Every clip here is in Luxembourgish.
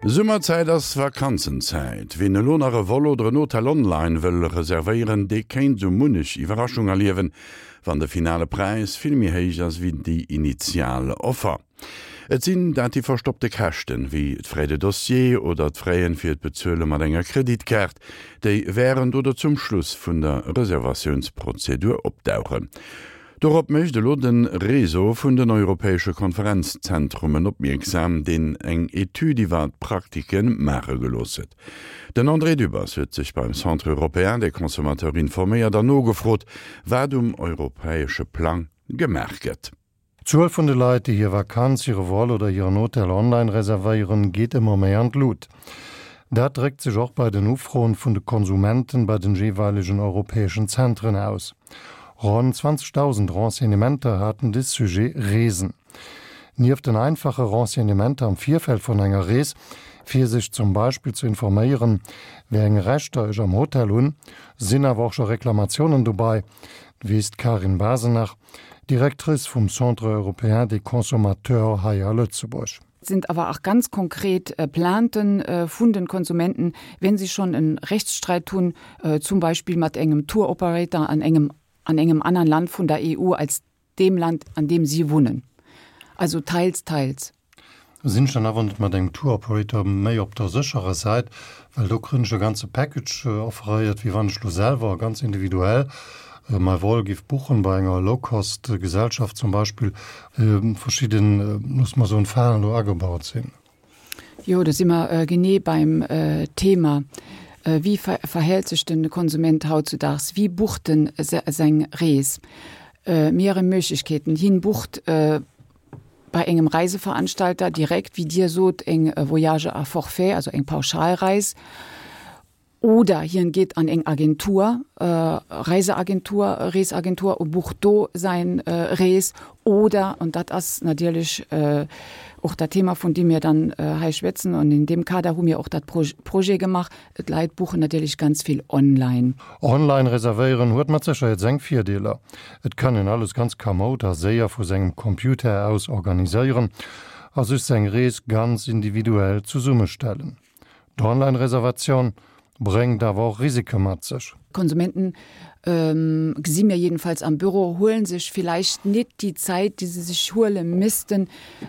Summerzäit ass Vakanzenzäit. Ween elo nach e Vol oder en Hotel online wëll reservéieren, dee kéint sou munnech Iwwerraschung erliewen, wann de finale Präis vill méi héich ass wéi déi initial Offer. Et sinn dat déi verstoppte Käschten, wéi d'Frais de dossier oder d'Fraien fir d'Bezuele mat enger Kreditkaart, déi wärend oder zum Schluss vun der Reservatiounsprozedur opdauchen. Dorop mécht elo de Réseau vun den europäesche Konferenzzentrumen opmierksam, deen eng Etüd iwwer d'Praktike maache gelooss huet. Den André Dübbers huet sech beim Centre européen des consommateurs informéiert an nogefrot, wat um europäesche Plang gemaach gëtt. D'Zuel vun de Leit, déi hir Vakanz, hire Vol oder hiren Hotel online reservéieren, geet ëmmer méi an d'Lut. Dat dréckt sech och bei den Ufroen vun de Konsumenten bei den jeeweilegen europäeschen Zentren aus. Ronn 20.000 Renseignementer haten de Sujet Reesen. Nieft den einfache Renseignementer am Virfeld vun enger Rees, fir sech zum Beispill ze informéieren, wéi eng Rechter ech am Hotel hunn, sinn awer och scho Reklamatiounen dobei, weess d'Karin Basenach, Directrice vum Centre européen des consommateurs hei a Lëtzebuerg. Sind aber auch ganz konkret Plainten vun den Konsumenten, wenn sie schon en Rechtsstreit hunn, zum Beispill mat engem Tour Operator an engem an engem anern Land vun der EU als deem Land, an deem si wunnen. Also teils, teils. Sinn ech dann awer net mat engem Tour Operator méi op der sécherer Säit, well do krënn ech e ganze Package offeréiert, wéi wann ech lo selwer ganz individuell mäi Vol giff buchen bei enger Low-Cost Gesellschaft zum Beispill, verschidden, loosse mer soen, Falen do agebaut sinn. Jo, do si mer genee beim Thema. Wéi verhält sech de Konsument hautzudaags? Wéi bucht en seng Rees? Mehrere Möglichkeeten. Hien bucht bei engem Reiseveranstalter direkt, wéi Dir sot, eng Voyage à forfait, also eng Pauschalreis, oder hien geet an eng Agentur, Reiseagentur, Reesagentur, u bucht do säin Rees, oder, an dat ass natierlech och dat Thema, vun deem mir dann hei schwätzen, an in deem Kader hu mir och dat Projet gemaach, d'Leit buchen natierlech ganz vill online. Online reservéieren huet mat Sécherheet seng Virdeeler. Et kann een alles ganz kamoud a séier vu sengem Computer aus organiséieren a sech seng Rees ganz individuell zesummestellen. D'Online-Reservatioun bréngt awer och Risike mat sech. Konsumenten, gesi mir jedenfalls am Büro, huelen sech villäicht nit déi Zäit, déi se sech huele missten,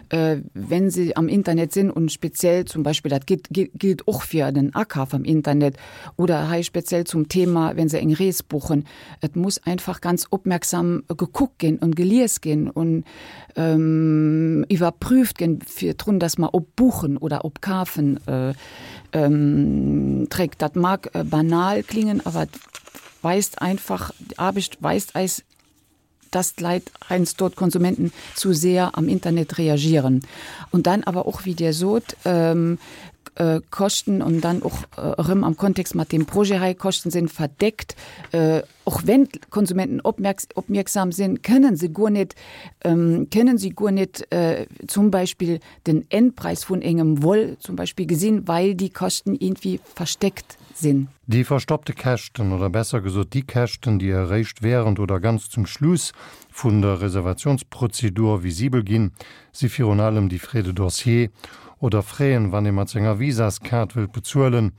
wenn se am Internet sinn und speziell zum Beispill, dat gilt och fir den Akaf am Internet oder hei speziell zum Thema, wenn se eng Rees buchen, Et muss einfach ganz opmerksam gekuckt ginn und gelies ginn und iwwerprüft ginn virdrun, dass mer op Buchen oder op Kafen dréckt. Dat mag banal klingen, awer et weist einfach, d'Aarbecht weist eis, dass d'Leit heiansdo, d'Konsumenten, zu sehr am Internet reagieren. Und dann awer och, wéi Dir sot, Käschten und dann och erëm am Kontext mat deem Projet hei, Käschten sinn verdeckt. Och wenn d'Konsumenten opmierksam sinn, kënnen se guer net, kënnen si guer net zum Beispill den Endpreis vun engem Vol zum Beispill gesinn, weil déi Käschten iergendwéi versteckt sinn. Déi verstoppte Käschten, oder besser gesot déi Käschten, déi eréischt während oder ganz zum Schluss vun der Reservationsprozedur visibel ginn, si virun allem déi Frais de dossier oder Fraisen, wann ee mat senger Visaskaart wëllt bezuelen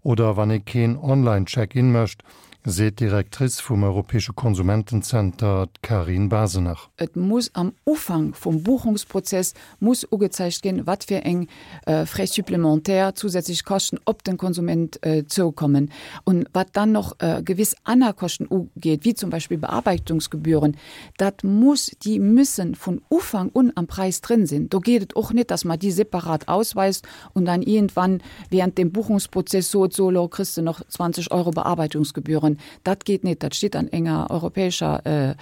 oder wann ee keen Online-Check-in mécht, seet d'Directrice vum Europäesche Konsumentenzenter, d'Carine Basenach. Et muss am Ufank vum Buchungsprozess muss ugezeigt ginn, wat fir eng Frais supplémentaires, zusätzlich Käschten op den Konsument zoukommen. Und wat dann noch gewiss aner Käschten ugeet, wéi zum Beispill Bearbeitungsgebühren, dat muss, déi müssen vun Ufank un am Präis drin sinn. Do geet et och net, dass mer déi separat ausweist und dann iergendwann während dem Buchungsprozess sot, so elo kriss de noch 20 Euro Bearbeitungsgebühren. Dat geet net, dat steet an enger europäescher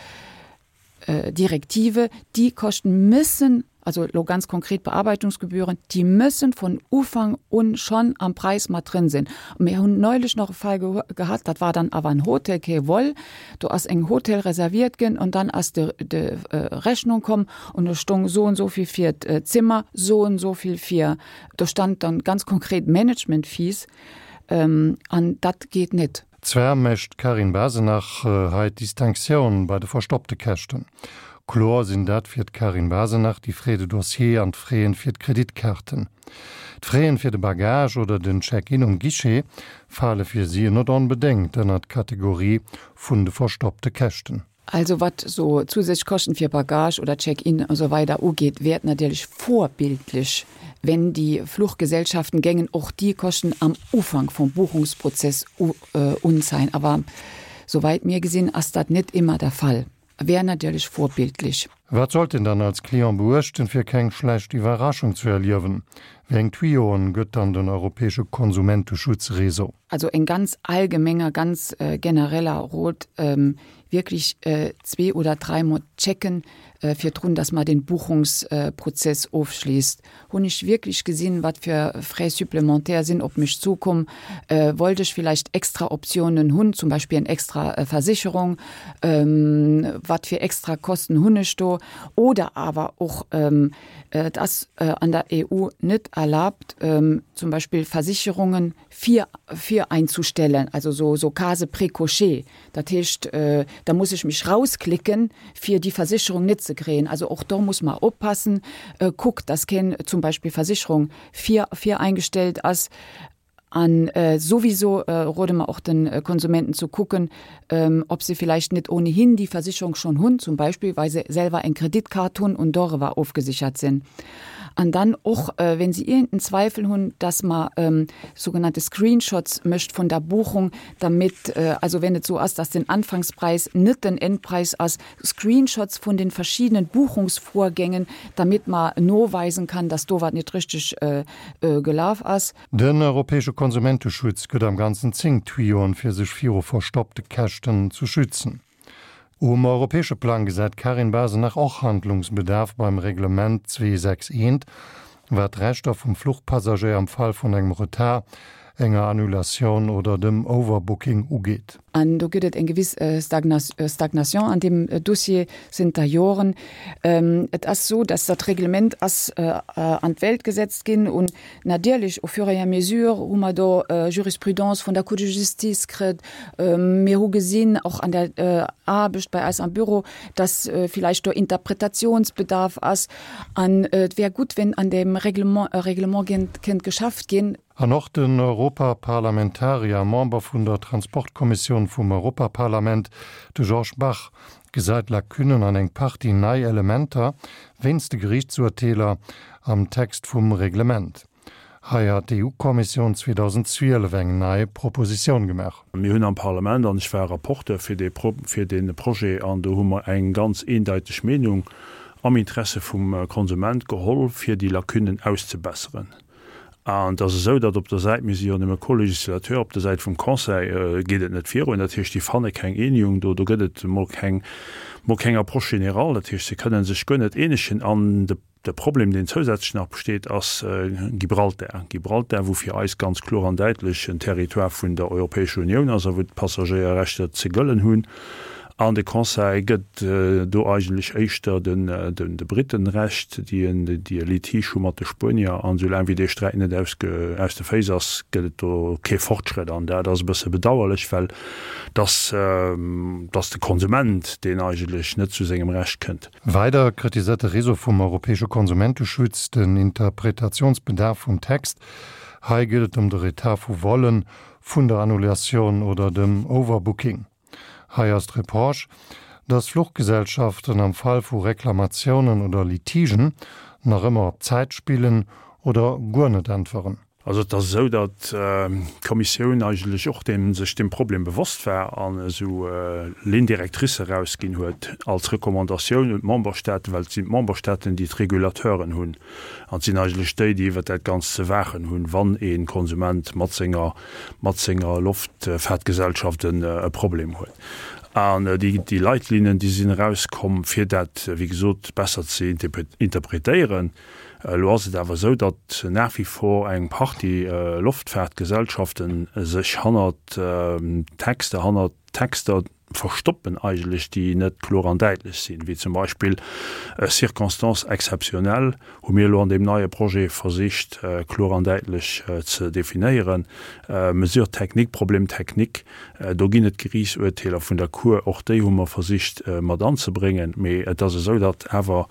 Direktive. Déi Käschten müssen, also elo ganz konkret Bearbeitungsgebühren, déi müssen von Ufank un schonn am Präis mat drin sinn. Mir hunn neulich nach e Fall gehat, dat war dann awer en Hotel, kee Vol, do ass eng Hotel reserviert ginn und dann ass de Rechnung komm und do stong so und so vill fir d'Zimmer, so und so vill fir, do stand dann ganz konkret Management Fees an dat geet net. Zwar mécht d'Carine Basenach hei d'Distinctioun bei de verstoppte Käschten. Kloer sinn dat fir d'Karin Basenach déi Frais de dossier an d'Fraisen fir d'Kreditkaarten. D'Fraisen fir de Bagage oder den Check-in um Guichet fale fir si net onbedéngt ënnert d'Kategorie vun de verstoppte Käschten. Also wat so zusätzlich Kosten fir Bagage oder Check-in und so weiter ugeet, wär et natierlech vorbildlich, wenn déi Fluchgesellschaften géingen och déi Kosten am Ufank vum Buchungsprozess unzeigen. Awer souwäit mir gesinn, ass dat net immer der Fall. Wär natierlech vorbildlich. Wat sollt een dann als Client beuechten, fir keng schlecht Iwwerraschung zu erliewen? Wéi eng Tuyoen gëtt dann den europäesche Konsumenteschutzréseau? Also en ganz allgemenger, ganz genereller Rot, wierklech zwee oder dräimol checken virdrun, dass mer den Buchungsprozess ofschliisst. Hunn ech wierklech gesinn, wat fir Frais supplémentaires sinn op mech zukomm? Wollt ech villäicht extra Optiounen hunn, zum Beispill eng extra Versicherung? Wat fir extra Kosten hunn ech do? Oder awer och, et ass an der EU net erlaabt, zum Beispill Versicherungen vir vir einzustellen, also so so Case précochées. Dat heescht, da muss ech mech rausklicken, fir déi Versicherung net ze kréien. Also och do muss mer oppassen, kuckt, dass keen zum Beispill Versicherung vir vireingestellt ass. An souwiso rode mer och de Konsumenten ze kucken, ob se vielleicht net ohnehin déi Versicherung schonn hunn, zum Beispill well se selwer eng Kreditkaart hunn und doriwwer ofgesichert sinn. An dann och, wenn se iergenden Zweifel hunn, dass mer sougenannte Screenshots mécht vun der Buchung, damit, also wenn et sou ass, dass den Anfangspreis net den Endpreis ass, Screenshots vun den verschiedenen Buchungsvorgängen, damit mer noweisen kann, dass do wat net richteg gelaf ass. Den europäesche Konsumenteschutz gëtt am Ganzen 10 Tuyoen, fir sech viru verstoppte Käschten zu schützen. Um europäesche Plang gesäit d'Karin Basenach och Handlungsbedarf beim Reglement 261, wat d'Rechter vum Fluchpassagéier am Fall vun engem Retard, enger Annulatioun oder dem Overbooking ugeet. An do gëtt et eng gewiss Stagnation an deem Dossier zënter Joren. Et ass esou, dass dat Reglement ass an d'Welt gesetzt ginn un natierlech au fur et à mesure hu mer do Jurisprudence vun der Cour de justice kritt. Mir hu gesinn, och an der Aarbecht bei eis am Büro, dass villäicht do Interpretationsbedarf ass. An et wär gutt, wenn an deem Reglement e Reglement kéint geschafft ginn. An och den Europaparlamentarier a Member vun der Transportkommissioun vum Europaparlament, de Georges Bach, gesäit Lacunnen an eng Partie nei Elementer wéinst de Geriichtsurteeler am Text vum Reglement. Hei hat d'EU-Kommissioun 2012 eng nei Propositioun gemaach. Mir hunn am Parlament, an ech war Rapporteur fir dee fir dee Projet, an do hu mer eng ganz eendeiteg Meenung am Interesse vum Konsument geholl, fir déi Lacunnen auszebesseren. An et ass esou, datt op der Säit, mir si jo nëmme Co-Législateur, op der Säit vum Conseil geet et net virun. Dat heescht, déi fanne keng Eenegung do. Do gëtt et emol keng, mol keng Approche générale. Dat heescht, se kënne sech guer net eenegen. An de De Problem, deen zousätzlech nach besteet, ass Gibraltar. Gibraltar, wou fir eis ganz kloer an däitlech en Territoire vun der Europäescher Unioun ass a wou d'Passagéierrechter ze gëllen hunn. An de Conseil gëtt do eigentlech éischter de Briten Recht, déi e Litige hu mat de Spuenier. An esoulaang wéi dee Sträit net aus de Féiss ass, gëtt et do kee Fortschrëtt. An dat ass e bësse bedauerlech, well et ass de Konsument, deen eigentlech net zu sengem Recht kënnt. Weider kritiséiert de Réseau vum europäesche Konsumenteschutz den Interpretationsbedarf vum Text. Hei geet et ëm de Retard vu Vollen, vun der Annulatioun oder dem Overbooking. Hei ass d'Reproche, datt Fluchgesellschaften am Fall vu Reklamatiounen oder Litigen nach ëmmer op Zäit spillen oder guer net äntweren. Also et ass esou, datt d'Kommissioun eigentlech och deem, sech deem Problem bewosst war an esou Lignes directrices erausginn huet als Recommandatioun un d'Memberstaaten, well et sinn d'Memberstaaten, déi d'Regulateuren hunn an et sinn eigentlech déi, déi iwwert dat Ganzt ze waachen hunn, wann ee Konsument mat senger, mat senger Loftfahrtgesellschaft en e Problem huet. An déi, déi Leitlinien, déi sinn erauskomm, fir dat, wéi gesot, besser ze interpretéieren. Elo ass et awer esou, datt nach wie vor eng Partie Loftfahrtgesellschaften sech hannert Texter, hannert Texter. verstoppen eigentlech, déi net kloer an däitlech sinn, wéi zum Beispill Circonstances exceptionnelles hu mir elo an deem neie Projet versicht kloer an däitlech ze definéieren. Mesures techniques, Problèmes techniques, do ginn et Geriichtsurteeler vun der Cour, och déi hu mer versicht mat anzebréngen. Mee et ass esou, datt awer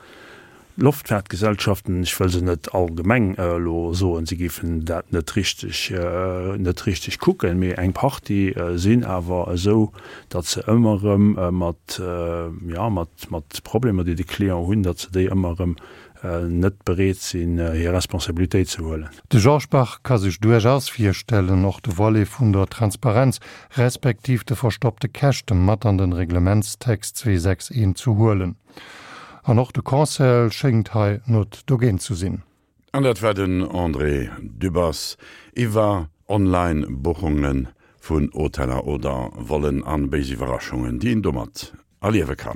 D'Loftfaartgesellschaften, ech wëll se net allgemeng elo soen, si géifen dat net richteg, net richteg kucken, mee eng Partie sinn awer esou, datt se ëmmer erëm mat, jo, mat, mat Problemer, déi de Client hunn, datt se déi ëmmer erëm net bereet sinn, hir Responsabilitéit ze huelen. De Georges Bach ka sech duerchaus virstellen, och de Volet vun der Transparenz respektiv de verstoppte Käschte mat an den Reglementstext 261 ze huelen. An och de Conseil schéngt hei not dogéint zu sinn. An dat war den André Dübbers iwwer Online-Buchunge vun Hoteller oder Vollen an béis Iwwerraschungen, déi een domat erliewe kann.